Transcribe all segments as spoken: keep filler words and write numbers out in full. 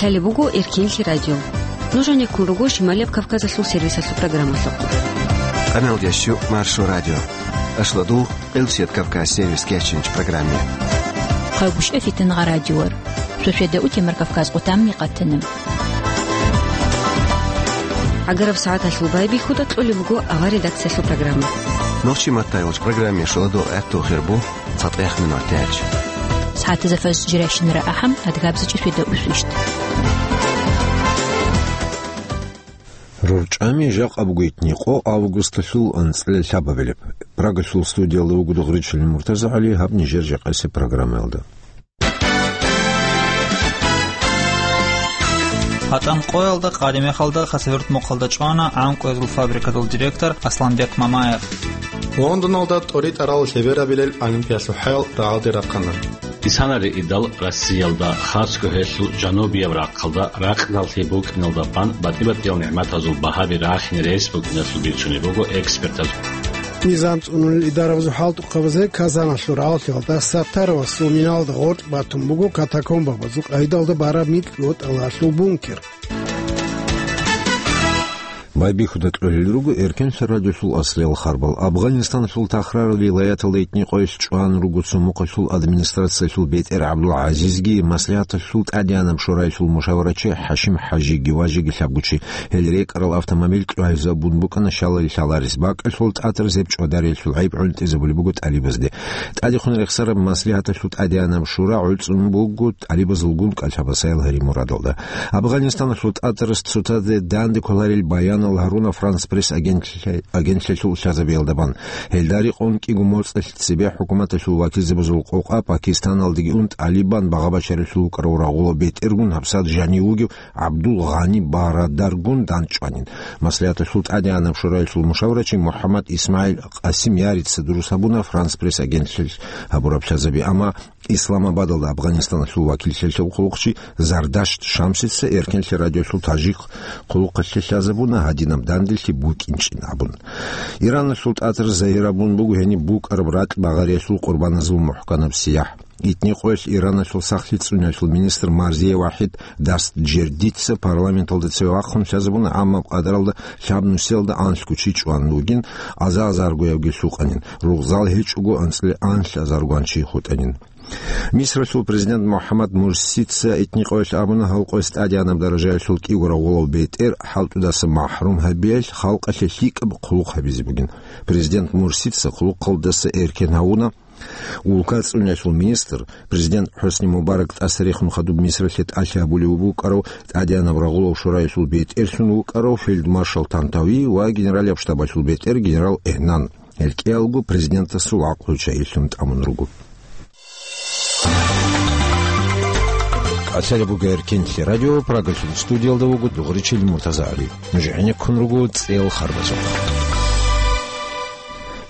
Гьале буго Эркенлъи радио. Нуж гьанеккун руго Шималияб Кавказалъул сервисалъул программалъухъ. Къамел ящу Маршо радио. Ашладул Къилсият Кавказ сервис кечинч программе. Хъагушев Фитнагъа радиор. Шошеда утемар Кавказ къутамни къатана. Агараб сагӀаталъул байбихьуда кьолеб буго авар редакциялъул программа. Нохчи маттайолч программе шуладо гӀатту хирбу. ЦатӀех минутач. СагӀатазда фаз жирайщинара ахӀам, адгабзичӀи феда усвищт. РурчӀами жакъа бугойтни къо августалъул анцӀила лъабабилеб. Прагалъул студиялда вуго Дугъричилин МуртазагӀали, гьаб нижер жакъасеб программаялда. ГьатӀан къоялда къадимахалда Хасавюрт мухъалда чӀвана гӀанкӀуязул фабрикадул директор Асланбек Мамаев. Лондоналда тӀоритӀарал лъеберабилел Олимпиялъул хӀаял рагӀалде рахъана. Исанари идал Россиялда, хасго гьелъул жанубияб рахъалда, ракьдал лъи букӀиналда бан батӀи-батӀиял нигӀматазул багьаби рахине рес букӀиналъул бицунеб буго экспертаз. Низам цӀунулел идарабазул хӀалтӀухъабазе Казаналъул рагӀалъиялда Саттаровасул миналда гъоркь батун буго катакомбабазул къайдалда бараб микьго тӀалалъул бункер. Байбихьуда кьолел руго Эркенлъи радиолъул аслиял харбал. Афганистаналъул Тахрар вилаяталда итни къоялъ чӀван руго цо мухъалъул администрациялъул бетӀер ГӀабдул-ГӀазизги, маслигӀаталъул тӀадегӀанаб шораялъул мушаварачи ХӀашим ХӀажиги ва жеги лъабгучи. Гьел рекӀарал автомобиль кьвагьизабун букӀана щалали лъаларес. БакӀалъул тӀатӀар зеб чӀвадариялъул гӀайиб гӀунтӀизабулеб буго тӀалибазде. ТӀадехун рехсараб маслигӀаталъул тӀадегӀанаб шура гӀуцӀун буго тӀалибазулгун кӀалъабасаял гьари мурадалда. Афганистаналъул тӀатӀарас цоцазе данде кколарел баянал гьаруна Франс Пресс агентлъи-, агентлъиялъул лъазабиялда бан. Гьелда рекъон кӀиго моцӀалъ цебе хӀукуматалъул вакилзабазул къокъа Пакистаналдаги ун тӀалибан багъа-бачаралъул вукӀарав рагъулав бетӀергун гьабсагӀат жанив вугев ГӀабдул Гъани Барадаргун дандчӀванин. МаслигӀаталъул тӀадегӀанаб шураялъул мушаврачи МухӀаммад ИсмагӀил Къасимярица дурус гьабуна Франс Пресс агентлъиялъ гьабураб лъазаби, амма Исламабадалда Афганистаналъул вакиллъиялъул хъулухъчи Зардашт Шамсица Эркенлъи радиолъул тажик хъулухъалъе лъазабуна гьадинаб данделъи букӀинчӀин абун. Ираналъул тӀатӀар загьирабун буго гьениб букӀараб ракь багъариялъул къурбаназул мухӀканаб сияхӀ. Итни къоялъ Ираналъул сахлъи цӀуниялъул министр Марзия ВахӀид Дастджердица парламенталда цеве вахъун лъазабуна, амма къадаралда лъабнусиялда анлъго чи чӀван вугин, аза-азаргоявги лъукъанин, ругъзал гьечӀого анцӀила анлъ азаргоян чи хутӀанин. Мисралъул президент МухӀаммад Мурсица итни къоялъ абуна, гьал къояс тӀадегӀанаб даражаялъул кӀиго рагъулав бетӀер хӀалтӀудаса махӀрум гьабиялъ халкъалъе лъикӀаб хъулухъ гьабизе бугин. Президент Мурсица хъулухъалдаса эркен гьавуна. Улка цӀуниялъул министр, президент ХӀусни Мубарак тӀаса рехун хадуб Мисралъе тӀалъи гьабулев вукӀарав, тӀадегӀанаб рагъулав шураялъул бетӀерлъун вукӀарав фельдмаршал Тантави ва генералияб штабалъул бетӀер генерал Энан. Гьел кӀиялго президентасул гӀакълу чагӀилъун тӀамун руго. КӀалъалеб буго Эркенлъи радио, Прагалъул студиялда вуго Дугъричил МуртазагӀали. Нуж гӀенеккун руго цӀел харбазухъ.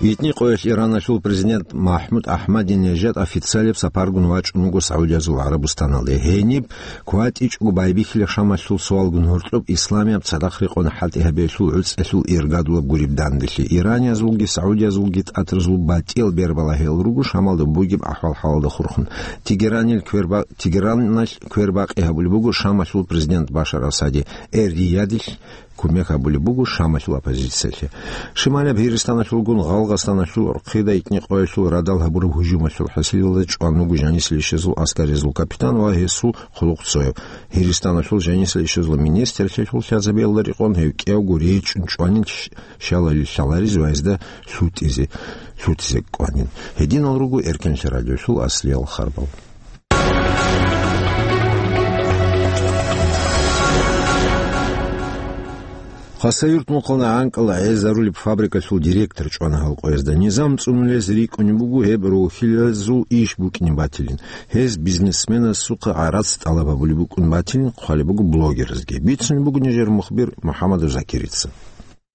Итни къоялъ Ираналъул президент МахӀмуд АхӀмадинежад официалияб сапаргун вачӀун вуго СагӀудиязул ГӀарабустаналде. Гьениб кватӀичӀого байбихьила Шамалъул суалгун гьоркьоб исламияб цадахъ рекъон хӀалтӀи гьабиялъул гӀуцӀалъул иргадулаб гуреб данделъи. Ираниязулги СагӀудиязулги тӀатӀарзул батӀиял бербала гьел руго Шамалда бугеб ахӀвал-хӀалалда хурхун. Тегеранил кверба-, Тегераналъ квербакъи гьабулеб буго Шамалъул президент Башар Асаде, Эр-Риядилъ кумек гьабулеб буго Шамалъул оппозициялъе. Шималаб Гьиристаналъулгун Гъалгъастаналъул рохъида итни къоялъул радал гьабураб гьужумалъул хӀасилалда чӀван вуго жанисел ишазул аскаризул капитан ва гьесул хъулухъ цояв. Гьиристаналъул жанисел ишазул министрлъиялъул лъазабиялда рекъон гьев кӀиявго речӀчӀун чӀванин щ-, щалали лъалариз ва гьезда лъутӀизе, лъутӀизе кӀванин. Гьединал руго Эркенлъи радиолъул аслиял харбал. Хасавюрт мухъана гӀанкӀал гӀезарулеб фабрикалъул директор чӀвана гьал къоязда. Низам цӀунулез рикӀкӀунеб буго гьеб рохьилазул иш букӀине батилин. Гьез бизнесменасухъа гӀарац тӀалаб гьабулеб букӀун батилин хъвалеб буго блогерзги. Бицунеб буго нижер мухбир МухӀаммадов Закирица.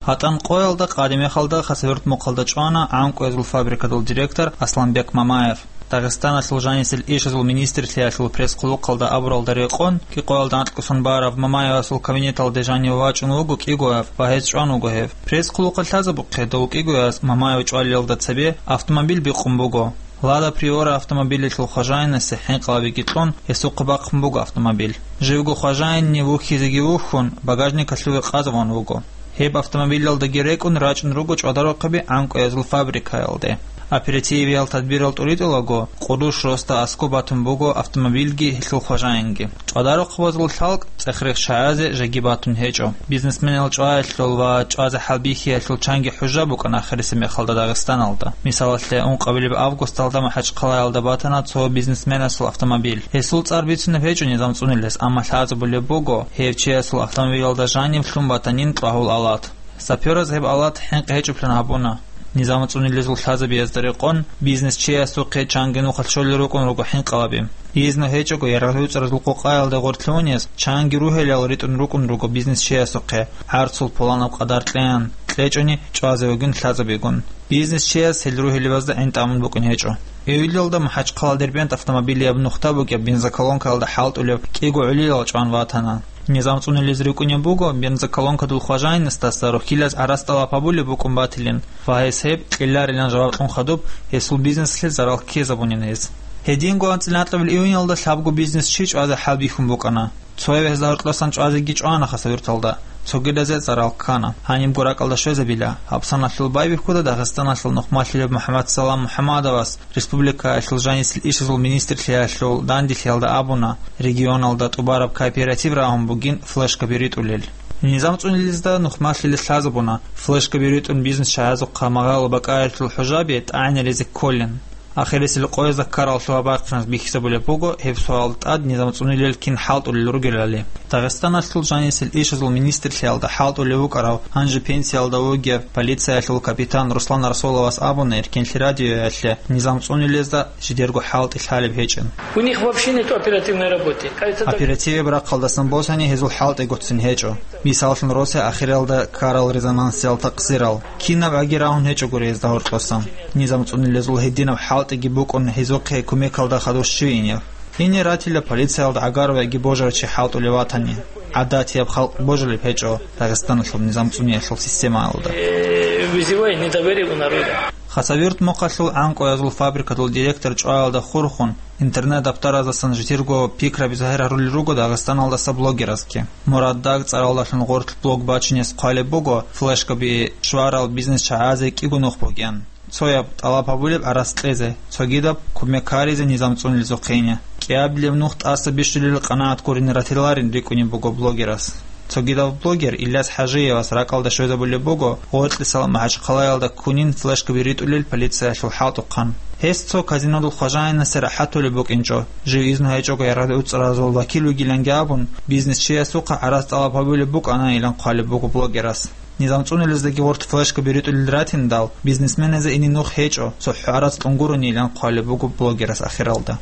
ГьатӀан къоялда къадимахалда Хасавюрт мухъалда чӀвана гӀанкӀуязул фабрикадул директор Асланбек Мамаев. Дагъистаналъул жанисел ишазул министрлъиялъул пресс-хъулухъалда абуралда рекъон, кӀикъоялда анкьгосан бараб Мамаевасул кабинеталде жанив вачӀун вуго кӀигояв ва гьез чӀван вуго гьев. Пресс-хъулухъалъ лъазабухъе дов кӀигояс Мамаев чӀвалиялда цебе автомобиль бикъун буго. Лада Приора автомобилалъул хважаинасе хӀинкъалабиги кьун, гьесухъа бахъун буго автомобиль. Живго хважаинни вухьизеги вухьун, багажникалъуве къазавун вуго. Гьеб автомобилалдаги рекӀун рачӀун руго чӀвадарухъаби гӀанкӀуязул фабрикаялде. Оперативиял тадбирал тӀуритӀулаго, къурущ росда аскӀоб батун буго автомобильги гьелъул хважаинги. ЧӀвадарухъабазул лъалкӀ цӀех-рех чагӀазе жеги батун гьечӀо. Бизнесменал чӀваялъул ва чӀвазе хӀалбихьиялъул чанги хӀужа букӀана ахирисеб мехалда Дагъистаналда. Мисалалъе, ункъабилеб августалда МахӀачхъалаялда батана цо бизнесменасул автомобиль. Гьесул цӀар бицунеб гьечӀо низам цӀунилес, амма лъазабулеб буго, гьев чиясул автомобилалда жаниб лъун батанин кьвагьул алат. Сапераз гьеб алат хӀинкъи гьечӀоблъун гьабуна. Низам цӀунилезул лъазабиязда рекъон, бизнесчиясухъе чанги нухалъ щолел рукӀун руго хӀинкъалаби. Изну гьечӀого, ярагъ-юцӀаразул къокъаялда гъорлъе унес чанги ругьелал ритӀун рукӀун руго бизнесчиясухъе, гӀарцул пуланаб къадар кьеян, кьечӀони чӀвазе вугин лъазабигун. Бизнесчияс гьел ругьелибазда гӀин тӀамун букӀин гьечӀо. Июльалда МахӀачхъала Дербент автомобилияб нухда бугеб бензоколонкаялда хӀалтӀулеб кӀиго гӀолилал чӀван ватана. Низам цӀунилез рикӀкӀунеб буго, бензоколонкадул хважаинасдаса рохьилаз гӀарац тӀалаб гьабулеб букӀун батилин ва гьес гьеб кьеларилан жаваб кьун хадуб, гьесул бизнеслъе зарал ккезабунин гьез. Гьединго анцӀила анкьабил июньалда лъабго бизнесчи чӀвазе хӀалбихьун букӀана. Цояв гьезда гьоркьосан чӀвазеги чӀвана Хасавюрталда, цогидазе зарал ккана. Гьанибго ракӀалда щвезабила, гьаб саналъул байбихьуда Дагъистаналъул нухмалъилеб МухӀаммадсалам МухӀаммадовас, республикаялъул жанисел ишазул министрлъиялъул данделъиялда абуна, регионалда тӀубараб кооператив рагьун бугин флешкаби ритӀулел. Низам цӀунилезда нухмалъилес лъазабуна, флешкаби ритӀун бизнес чагӀазухъа магъало бакӀаялъул хӀужаби тӀагӀинаризе кколин. Ахирисел къоязда ккарал лъугьа-бахъиназ бихьизабулеб буго, гьеб суалда тӀад низам цӀунилел кин хӀалтӀулел ругелали. Дагъистаналъул жанисел ишазул министрлъиялда хӀалтӀулев вукӀарав, гьанже пенсиялда вугев, полициялъул капитан Руслан Расуловас абуна Эркенлъи радиоялъе низам цӀунилезда жидерго хӀалтӀи лъалеб гьечӀин. У них вообще нет оперативной работы. Оперативияб рахъалдасан босани гьезул хӀалтӀи гуццин гьечӀо. Мисаллъун, росияб ахиралда ккарал резонансиял такъсирал. Кинаб гӀаги рагьун гьечӀогури гьезда гьоркьосан. Низам цӀунилезул гьединаб хӀалтӀиги букӀун гьезухъе кумекалда хадув щивинев. Гьенир ратила полициялда гӀагарвеги божарав чи хӀалтӀулев ватани. ГӀадатияб халкъ божулеб гьечӀо Дагъистаналъул низам цӀуниялъул системаялда. Э, вызывает недоверие у народа. Хасавюрт мухъалъул гӀанкӀуязул фабрикадул директор чӀваялда хурхун, интернет-даптараздасан жидерго пикраби загьир гьарулел руго Дагъистаналдаса блогеразги. Мурад Даг цӀаралдалъун гъорлъ блог бачинес хъвалеб буго, флешкаби щварал бизнес чагӀазе кӀиго нух бугин. Цояб тӀалаб гьабулеб гӀарац кьезе, цогидаб кумек гьаризе низам цӀунилезухъене. КӀиабилеб нух тӀаса бищулел къанагӀат гурине ратиларин рикӀкӀунеб буго блогерас. Цогидав блогер Ильяс ХӀажиевас ракӀалда щвезабулеб буго, гъоркьисал МахӀачхъалаялда ккунин флешкаби ритӀулел полициялъул хӀалтӀухъан. Гьес цо казинодул хважаинасе рахӀатулеб букӀинчӀо, жив изну гьечӀого ярагъ-юцӀаразул вакил вугиланги абун, бизнесчиясухъа гӀарац тӀалаб гьабулеб букӀанайилан хъвалеб буго блогерас. Низам цӀунилездаги гъорлъ флешкаби ритӀулел ратиндал, бизнесменазе ине нух гьечӀо, цохӀо гӀарац кьун гуронилан хъвалеб буго блогерас ахиралда.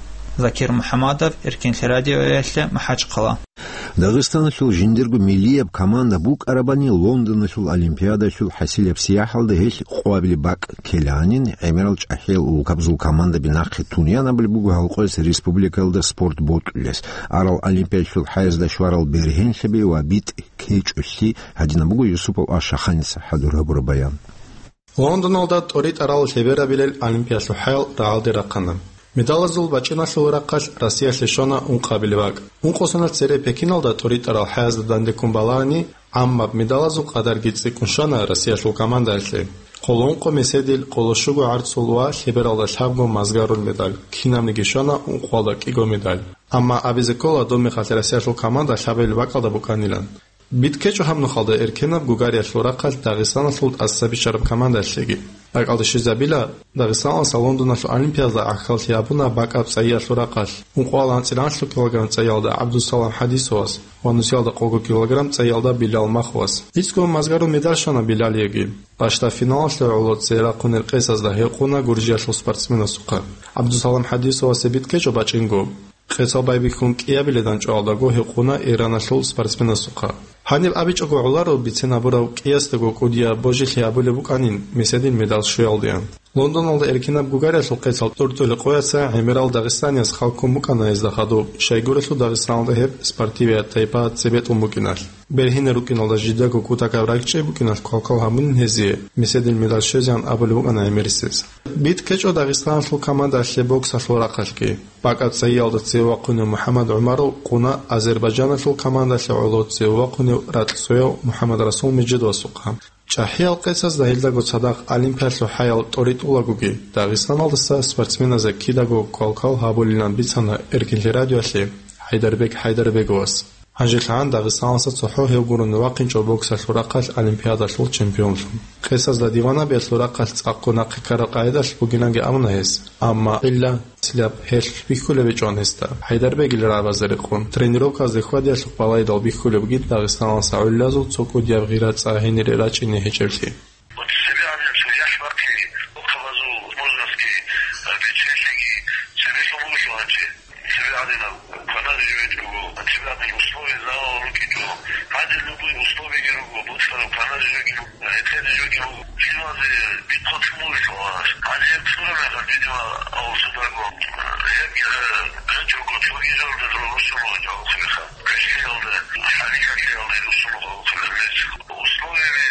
Закир МухӀаммадов, Эркенлъи радиоялъе, МахӀачхъала. Дагъистаналъул жиндирго миллияб команда букӀарабани Лондоналъул Олимпиадалъул хӀасилеб сияхӀалда гьелъ къвабили бакӀ ккеланин, гӀемерал чӀахӀиял улкабазул командаби нахъе тунянабулеб буго гьал къояс республикаялда спорт бокьулес. Арал Олимпиадалъул хӀаязда щварал бергьенлъаби ва битӀ кечӀолъи гьадинаб буго Юсупов Ашаханица хӀадур гьабураб баян. Лондоналда тӀоритӀарал лъеберабилел Олимпиялъул хӀаял рагӀалде рахъана. Медалазул бачӀиналъул рахъалъ Россиялъе щвана ункъабилеб бакӀ. Ункъо соналъ цере Пекиналда тӀоритӀарал хӀаязда дандеккун балагьани, гӀаммаб медалазул къадарги цӀикӀкӀун щвана Россиялъул командаялъе: къоло ункъо меседил, къоло щуго гӀарцул ва лъебералда лъабго мазгарул медаль, кинабниги щвана ункъоялда кӀиго медаль. Амма абизе ккола, доб мехалъ Россиялъул команда лъабабилеб бакӀалда букӀанилан. БитӀ кечӀо гьаб нухалда эркенаб гугариялъул рахъалъ Дагъистаналъул тӀаса биччараб командалъеги. РакӀалде щвезабила, Дагъистаналдаса Лондоналъул Олимпиадалда гӀахьаллъи гьабуна бакӀаб цӀайиялъул рахъалъ, ункъоялда анцӀила анлъго килограмм цӀайиялда ГӀабдусалам ХӀадисовас ва нусиялда къого килограмм цӀайиялда Билал Маховас. ГӀицӀго мазгарул медаль щвана Билалиеги. Бащдаб финалалъе гӀоло цӀей рахъунел къецазда гьекъуна Гуржиялъул спортсменасухъа. ГӀабдусалам ХӀадисовасе битӀ кечӀо бачӀинго. Къецал байбихьун кӀиабиледан чӀвалдаго гьекъуна Ираналъул спортсменасухъа. Гьаниб абичӀого гӀоларо бицен гьабурав кӀиясдаго кӀудияб божилъи гьабулеб букӀанин меседил медаль щвеялдеян. Лондоналда эркенаб гугариялъул къецал тӀуртӀулел къояца гӀемерал дагъистанияс хал ккун букӀана гьезда хадуб, щайгурелъул Дагъистаналда гьеб спортивият тайпа цебетӀун букӀиналъ. Бергьине рукӀиналда жидего кутакаб ракӀчӀей букӀиналъ квалквал гьабунин гьезие, меседил медаль щвезегӀан абулеб букӀана гӀемерисез. БитӀ ккечӀо Дагъистаналъул командалъе боксалъул рахъалъги. БакӀа цайиялда цеве вахъунев МухӀаммад ГӀумаров къуна Азербайджаналъул командалъе гӀоло цеве вахъунев ракьцояв МухӀаммад Расул Межидовасухъа. ЧӀахӀиял къецазда гьелдаго цадахъ Олимпиалъул хӀаял тӀоритӀулагоги, Дагъистаналдаса спортсменазе кидаго квалквал гьабулилан бицана Эркинлъи радиоялъе ХӀайдарбек ХӀайдарбеговас. ГьанжелъагӀан Дагъистаналъа цохӀо гьев гурони вахъинчӀо боксалъул рахъалъ Олимпиадалъул чемпионлъун. Къецазда диванабиялъул рахъалъ цӀакъго нахъе ккараб къагӀидалъ бугинанги абуна гьес, амма гьелда цилаб гьелъ бихьулеб гьечӀоан гьесда, ХӀайдарбегил рагӀабазе рекъон, тренировказде хьвадиялъухъ балайдал бихьулеб бугин Дагъистаналъа гӀолилазул цо кӀудияб гъира цӀа гьенире рачӀине гьечӀеблъи. ЦебегӀаниб цо яхӀ бахъи, рукъабазул возрастги, бетӀерлъиги цебе лъун буго гьанже. ЦебегӀадинаб кваназе живеч буго, цебегӀадин условия залал рукӀинчӀо. Гьанже любой условияги руго, боксараб кваназе живеги буго, гьетӀезе живеги буго. Лъималазе битӀун лъун буго лъугьараш. Гьанже гьеб лъураб мехалъ, видимо, авал сударго, гьеб, э, гьечӀого цоги жалда дора росулъ гьечӀо гьабухъе мехалъ. Квешлъиялда, хӀалихьалъиялда росулъ гьабухъе мехалъ. Условияби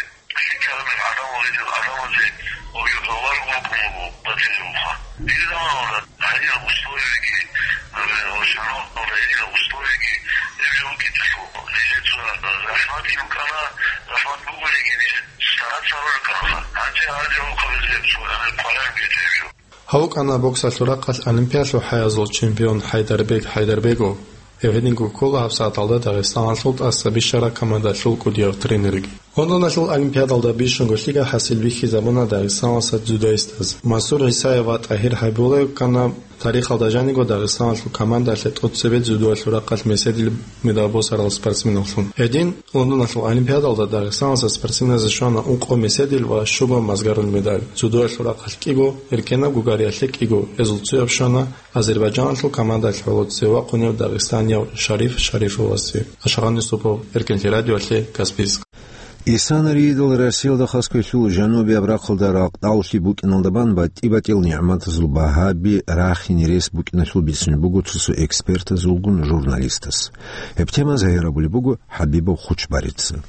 лъикӀаб мехалъ гӀадамал гьедин гӀадамазе гьобги гьавар вукӀун буго батизухъа. Дир заманалда гьединаб условияги, э, ва шагьаралда гьединаб условияги гьеб жо букӀинчӀелъул, нижеца захӀматги букӀана, захӀмат бугониги нижеца стараться гьарулел рукӀанаха. Гьанже гьанже гьавухъабизе гьеб цо, э, къваригӀун гьечӀеб жо. Гьав вукӀана боксалъул рахъалъ Олимпиалъул хӀаязул чемпион ХӀайдарбек ХӀайдарбегов. Гьев гьединго ккола гьабсагӀаталда Дагъистаналъул тӀаса бищараб командалъул кӀудияв тренерги. Лондоналъул Олимпиадалда бищунго лъикӀаб хӀасил бихьизабуна Дагъистаналъа дзюдоистаз. Мансур ГӀисаев ва ТӀагьир ХӀабибуллаев ккана тарихалда жаниго Дагъистаналъул командалъе тӀоцебе дзюдоялъул рахъалъ меседил медал босарал спортсменаллъун. Гьедин, Лондоналъул Олимпиадалда Дагъистаналъа спортсменазе щвана ункъо меседил ва щуго мазгарул медаль, дзюдоялъул рахъалъ кӀиго, эркенаб гугариялъе кӀиго, гьезул цояб щвана Азербайджаналъул командалъ гӀоло цеве вахъунев дагъистанияв Шариф Шарифовасе. Ашгъан Юсупов, Эркинлъи радиоялъе, Каспийск. Исанариидал Россиялда хасго лъул жанубияб рахъалда ракъдаллъи букӀиналда бан батӀи-батӀиял нигӀматазул багьаби рахине рес букӀиналъул бицунеб буго цо-цо экспертазулгун журналистас. Гьеб тема загьир гьабулеб буго ХӀабибов Хучбарица.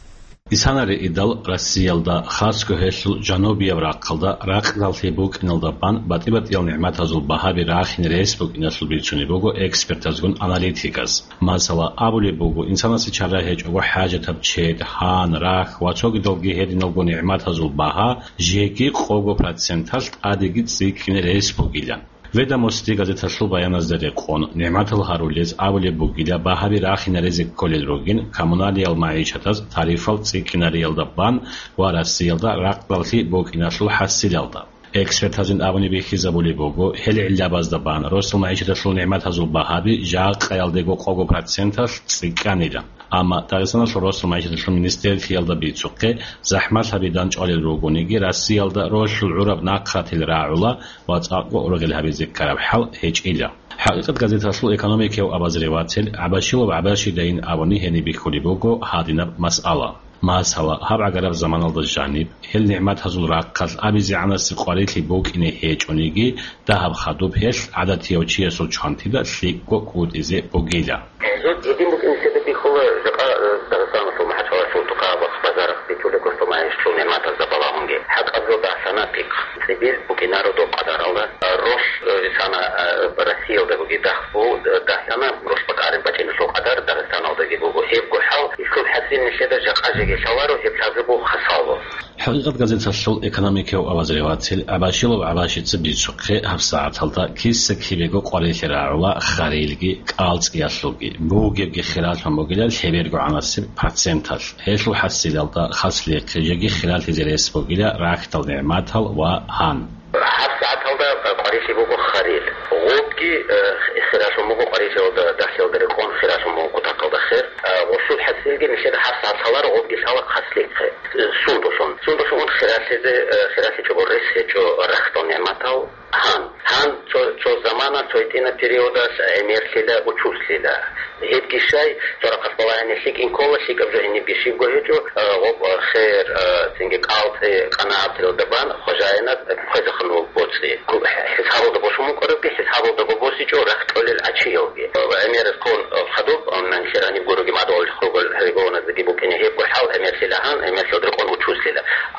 Исанариидал Россиялда хасго гьелъул жанубияб рахъалда ракъдаллъи букӀиналда бан батӀи-батӀиял нигӀматазул багьаби рахине рес букӀиналъул бицунеб буго экспертазгун аналитиказ. Масала, абулеб буго, инсанасе чара гьечӀого хӀажатаб чед, гьан, рахь ва цогидалги гьединалго нигӀматазул багьа жеги къого проценталъ тӀадеги цӀикӀкӀине рес бугилан. «Ведомости» газеталъул баяназда рекъон, нигӀматал гьарулез абулеб бугила, багьаби рахине резе кколел ругин, коммуналиял магӀишатаз тарифал цӀикӀкӀинариялда бан ва Россиялда ракъдаллъи букӀиналъул хӀасилалда. Экспертазин абуни бихьизабулеб буго, гьел гӀиллабазда бан росал магӀишаталъул нигӀматазул багьаби жакъаялдего къого проценталъ цӀикӀкӀанила. Амма Дагъистаналъул росал магӀишаталъул министрлъиялда бицухъе, захӀмалъаби данчӀвалел ругониги, Россиялда ролъул гӀураб нахъатил рагӀула ва цӀакъго ургъел гьабизе ккараб хӀал гьечӀила. «ХӀакъикъат» газеталъул экономикияв обозреватель ГӀабашилов ГӀабашидайин абуни гьениб бихьулеб буго гьадинаб масъала. Масала, гьаб гӀагараб заманалда жаниб, гьел нигӀматазул рахъалъ абизегӀанасеб къварилъи букӀине гьечӀониги, дагьаб хадуб гьелъ гӀадатияв чиясул чвантида лъикӀго кӀутӀизе бугила. Гьезул гьедин букӀин нилъеда бихьула жакъа, э, Дагъистаналъул МахӀачкъалаялъул тукъа ва базарахъ бичӀчӀулеб государствоялъул нигӀматазда балагьунги. ХӀакъаб жо дагьлъана пихъ. ЦӀибил букӀинаро доб къадаралда. Рос, э, исана, э, Россиялда буги дагь бу-, дагьлъана, рос бакӀараб бачӀиналъул къадар Дагъистаналдаги буго. Гьебго хӀал, ислъул хӀасил нилъеда жакъа жеги лъаларо, гьеб лъазе буго хасало. «ХӀакъикъат» газеталъул экономикияв обозреватель ГӀабашилов ГӀабашица бицухъе, гьабсагӀаталда киса-кибего къварилъи рагӀула харилги, кӀалцӀиялъулги, бугебги хиралъун бугила лъебергогӀанасеб проценталъ. Гьелъул хӀасилалда хаслихъе жеги хиралъизе рес бугила рахьдал нигӀматал ва гьан. ГьабсагӀаталда къварилъи буго харил. Гъобги, э, хиралъун буго къварилъиялда, дагьлъиялда рекъон хиралъун буго кутакалда хер. Э, гъосул хӀасилги нилъеда гьабсагӀат лъаларо, гъобги лъала хаслихъе. Э, сундулъун. Сундулъун хиралъизе, э, хиралъичӀого рес гьечӀо рахьдал нигӀматал. Гьан, гьан цо, цо замана, цо гьитӀина периодалъ гӀемерлъила, учузлъила. Гьебги щай, цо рахъалъ балагьани лъикӀин ккола, лъикӀаб жо гьенибги щибго гьечӀо, а, гъоб, а, хер, а, цинги кӀалцӀи, къанагӀатрилда бан, хважаинаб хвезехъанул боцӀи. Ку-, хӀисабалда босун букӀарабги, хӀисабалдаго босичӀо рахь кьолел гӀачиялги. ГӀемераз ккун, а, хадуб, а, нан хираниб гуроги мадугӀал хургал регионаздаги букӀине.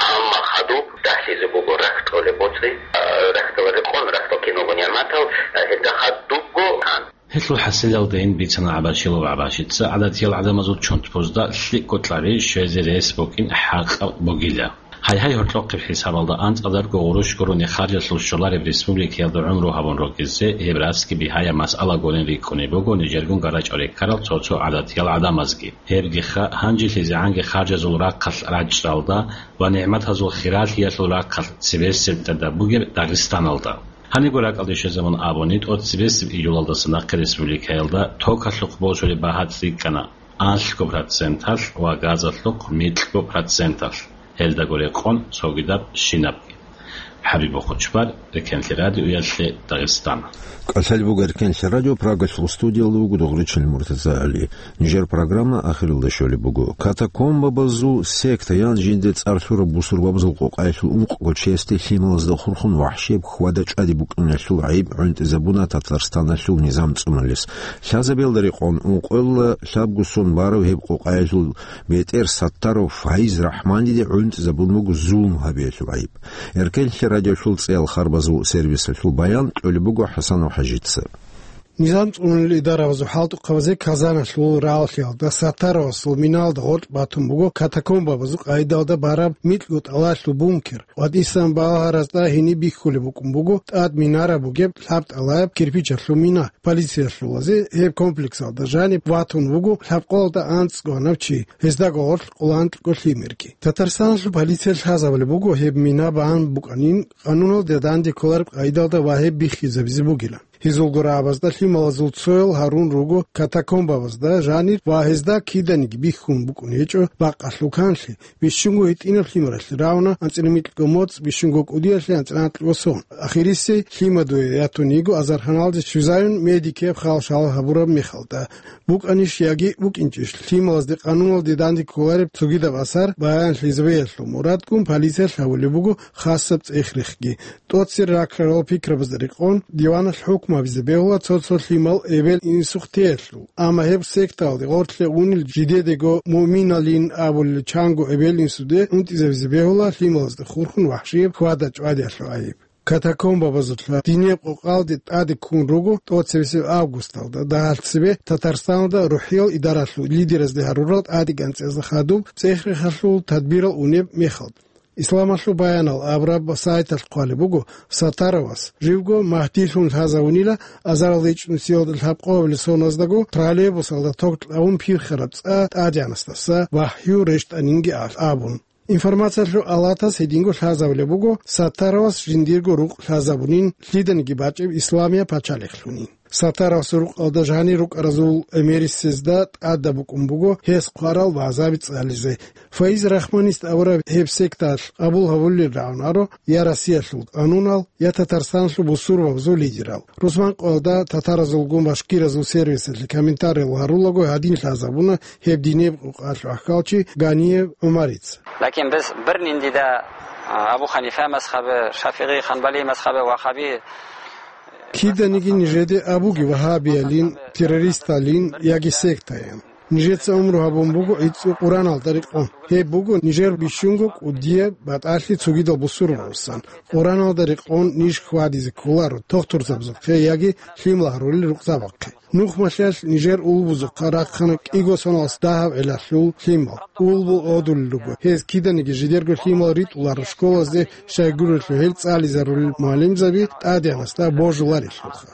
Амма хадуб дагьлъизе буго рахьтӀолеб боцӀи, а, рахьтӀаларе къон, рахьтӀал киналго нигӀматал, а, гьелда хадубго тан. Гьелъул хӀасилалдейин бицана ГӀабашилов ГӀабашица, гӀадатиял гӀадамазул чонтпузда лъикӀго кьаби щвезе рес букӀин хӀакъаб бугила. Гьайгьай, гьоркьохъеб хӀисабалда анцӀадарго гъурущ гурони харжалъул щолареб республикаялда гӀумру гьабун ругезе гьеб расги бигьаяб масъала гурин рикӀкӀунеб буго нижергун гарачӀореккарал цо-цо гӀадатиял гӀадамазги. Гьебгиха, гьанжелъизегӀанги харжазул рахъалъ рачӀчӀалда ва нигӀматазул хиралъиялъул рахъалъ цебесеб тӀадаб бугеб Дагъистаналда. Гьаниго ракӀалде щвезабун абуни, тӀоцебесеб июлалдаса нахъе республикаялда токалъухъ босулеб багьа цӀикӀкӀана алъго проценталъ ва газалъухъ микьго проценталъ, гьелдаго рекъон цогидаб щинабги. ХӀабиб Бохочбар, Рекенлъи радиоялъе, Дагъистан. КӀалъалеб буго Рекенлъи радио, Прагалъул студиялда вуго Дугъричил МуртазагӀали. Нижер программа ахиралда щолеб буго. Катакомбабазул секта, ян жинде цӀар лъураб бусурбабазул къокъаялъул ункъго чиясде лъималазда хурхун вахӀшияб хьвада-чӀвади букӀиналъул гӀайиб гӀунтӀизабуна Татарстаналъул низам цӀунулес. Лъазабиялда рекъон ункъоялда лъабго сон барав гьеб къокъаялъул бетӀер Саттаров Фаиз Рахманиде гӀунтӀизабун буго зулм гьабиялъул гӀайиб. Эркенлъи радиолъул цӀиял харбазул сервисалъул баян кьолеб буго ХӀасанов ХӀажица. Низам цӀунулел идарабазул хӀалтӀухъабазе Казаналъул рагӀалъиялда Саттаровасул миналда гъоркь батун буго катакомбабазул къайдалда бараб микьго тӀалалъул бункер. КъватӀисан балагьаразда гьениб бихьулеб букӀун буго тӀад минара бугеб лъабтӀалаяб кирпичалъул мина. Полициялъулазе гьеб комплексалда жаниб ватун вуго лъабкъоялда анцӀго гьанав чи, гьездаго гъорлъ къоло анкьго лъимерги. Татарстаналъул полиция лъазабулеб буго гьеб мина бан букӀанин, къануналде данде кколареб къайдалда ва гьеб биххизабизе бугилан. Гьезулго рагӀабазда лъималазул цоял гьарун руго катакомбабазда жанир ва гьезда киданиги бихьун букӀун гьечӀо бакъалъул канлъи, бищунго гьитӀинаб лъимералъе рагӀуна анцӀила микьго моцӀ, бищунго кӀудиялъе анцӀила анкьго сон. Ахирисей лъимадуе ятун йиго азарханалде щвезаюн медикияб хал-шал гьабураб мехалда. БукӀанищ яги букӀинчӀищ, лъималазде къануналде данде кколареб цогидаб асар баянлъизабиялъул мурадгун полициялъ гьабулеб буго хасаб цӀех-рехги. ТӀоцере ракрарал пикрабазда рекъон, диваналъ хӀукму гьабизе бегьула цо-цо лъимал эбел-инсухъ теялъул. Амма гьеб сектаялде гъорлъе унел жидедего муъминалин абулел чанго эбел-инсуде унтӀизабизе бегьула лъималазда хурхун вахӀшияб хьвада-чӀвадиялъул гӀайиб. Катакомбабазулъа динеб къокъалде тӀаде ккун руго тӀоцебесеб августалда дагьалъ цебе Татарстаналда рухӀиял идаралъул лидеразде гьарурал тӀадегӀанцӀазда хадуб цӀех-рехалъул тадбирал унеб мехалда. Исламалъул баянал абураб сайталъ хъвалеб буго, Саттаровас живго Магьдилъун лъазавунила азарал ичӀнусиялда лъабкъоялда соназдаго троллейбусалда ток кьавун пирхараб цӀа тӀадегӀанасдаса вахӀю рещтӀанинги абун. Информациялъул алатас гьединго лъазабулеб буго, Саттаровас жиндирго рукъ лъазабунин, лъиданиги бачӀеб исламияб пачалихълъунин. Саттаровасул рукъалда жанир рукӀаразул гӀемерисезда тӀадаб букӀун буго гьес хъварал вагӀзаби цӀализе. Фаиз Рахманист абураб гьеб секталъ къабул гьабулел рагӀунаро я Россиялъул къанунал, я Татарстаналъул бусурбабазул лидерал. Русман къоялда татаразулгун башкиразул сервисалъе комментариял гьарулаго гьадин лъазабуна гьеб динеб къокъалъул ахӀалчи Ганиев ГӀумарица. Лакин бес бирнин дида, а, Абу Ханифа мазхабе, ШафигӀи, Ханбали мазхабе, Вахаби. Киданиги нижеде абуги вагьабиялин, террористалин яги сектаян. Нижеца умру гьабун буго гӀицӀго Къураналда рекъон. Гьеб буго нижер бищунго кӀудияб батӀалъи цогидал бусурбабасан. Къураналда рекъон ниж хьвадизе кколаро тохтурзабазухъе яги лъим лагьарулел рукъзабахъе. Нухмалъиялъ нижер улбузухъа рахъана кӀиго соналъ дагьаб гӀелалъул лъимал. Улбу гӀодулел руго. Гьез киданиги жидерго лъимал ритӀуларо школазде щайгурелъул гьел цӀализарулел мугӀалимзаби тӀадегӀанасда божуларелъулха.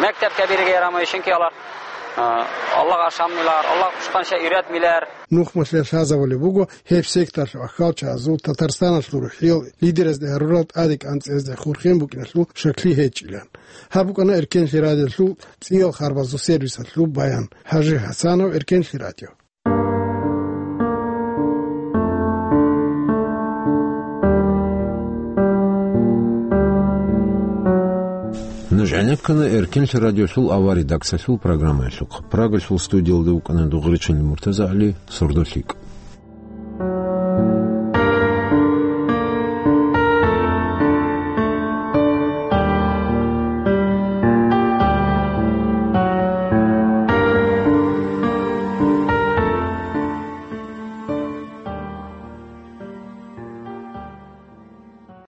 Мектеб кабирги ярамай шинки алар, а, Аллагь ашаммилар, Аллагь хушхъанша ирад милар. Нухмалъиялъ лъазабулеб буго гьеб секталъул ахӀалчазул Татарстаналъул рухӀиял лидеразде гьарурал тӀадегӀанцӀазде хурхен букӀиналъул шакли гьечӀилан. Гьаб букӀана Эркенлъи радиолъул цӀиял харбазул сервисалъул баян. ХӀажи ХӀасанов, Эркенлъи радио. Нуж гӀенеккана Эркенлъи радиолъул авария редакциялъул программаялъухъ. Прагалъул студиялда вукӀана Дугъричинли МуртазагӀали, «Сордолъикъ».